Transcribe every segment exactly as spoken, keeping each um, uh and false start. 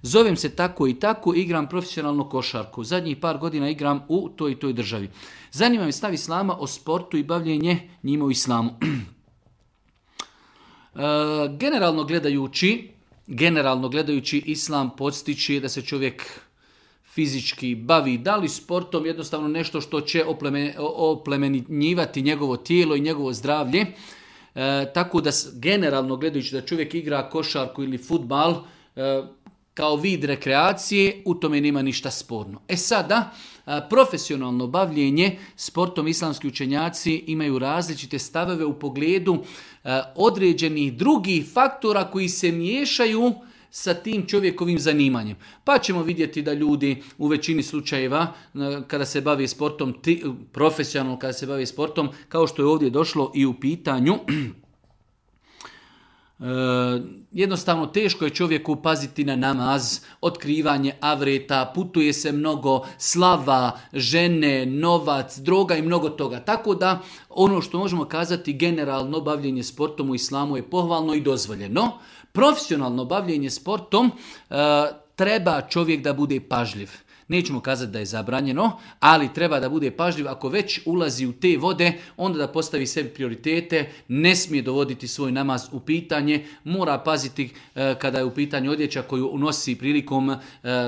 Zovem se tako i tako, igram profesionalno košarku. Zadnjih par godina igram u toj i toj državi. Zanima me stav Islama o sportu i bavljenje njima u Islamu. e, generalno gledajući, generalno gledajući Islam podstiče da se čovjek fizički bavi, da li sportom, jednostavno nešto što će oplemenjivati njegovo tijelo i njegovo zdravlje. E, tako da generalno gledajući da čovjek igra košarku ili fudbal e, kao vid rekreacije, u tome nema ništa sporno. E sada, a, profesionalno bavljenje sportom islamski učenjaci imaju različite stavove u pogledu a, određenih drugih faktora koji se miješaju sa tim čovjekovim zanimanjem. Pa ćemo vidjeti da ljudi u većini slučajeva kada se bave sportom, profesionalno kada se bave sportom, kao što je ovdje došlo i u pitanju, E, jednostavno teško je čovjeku paziti na namaz, otkrivanje avreta, putuje se mnogo, slava, žene, novac, droga i mnogo toga. Tako da ono što možemo kazati generalno bavljenje sportom u islamu je pohvalno i dozvoljeno. Profesionalno bavljenje sportom e, treba čovjek da bude pažljiv. Nećemo kazati da je zabranjeno, ali treba da bude pažljiv. Ako već ulazi u te vode, onda da postavi sebi prioritete, ne smije dovoditi svoj namaz u pitanje, mora paziti e, kada je u pitanju odjeća koju unosi prilikom e,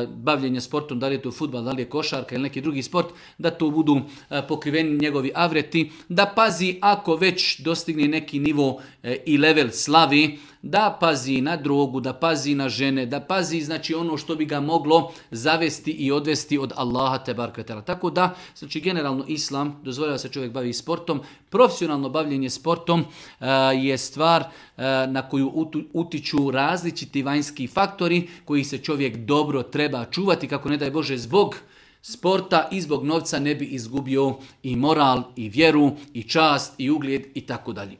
bavljenja sportom, da li je to fudbal, da li je košarka ili neki drugi sport, da to budu e, pokriveni njegovi avreti, da pazi ako već dostigne neki nivo e, i level slavi, da pazi na drogu, da pazi na žene, da pazi znači ono što bi ga moglo zavesti i odvesti od Allaha tebareke ve teala. Tako da, znači generalno islam dozvoljava se čovjek bavi sportom. Profesionalno bavljenje sportom uh, je stvar uh, na koju utiču različiti vanjski faktori koji se čovjek dobro treba čuvati, kako ne daj Bože zbog sporta i zbog novca ne bi izgubio i moral, i vjeru, i čast, i ugljed i tako dalje.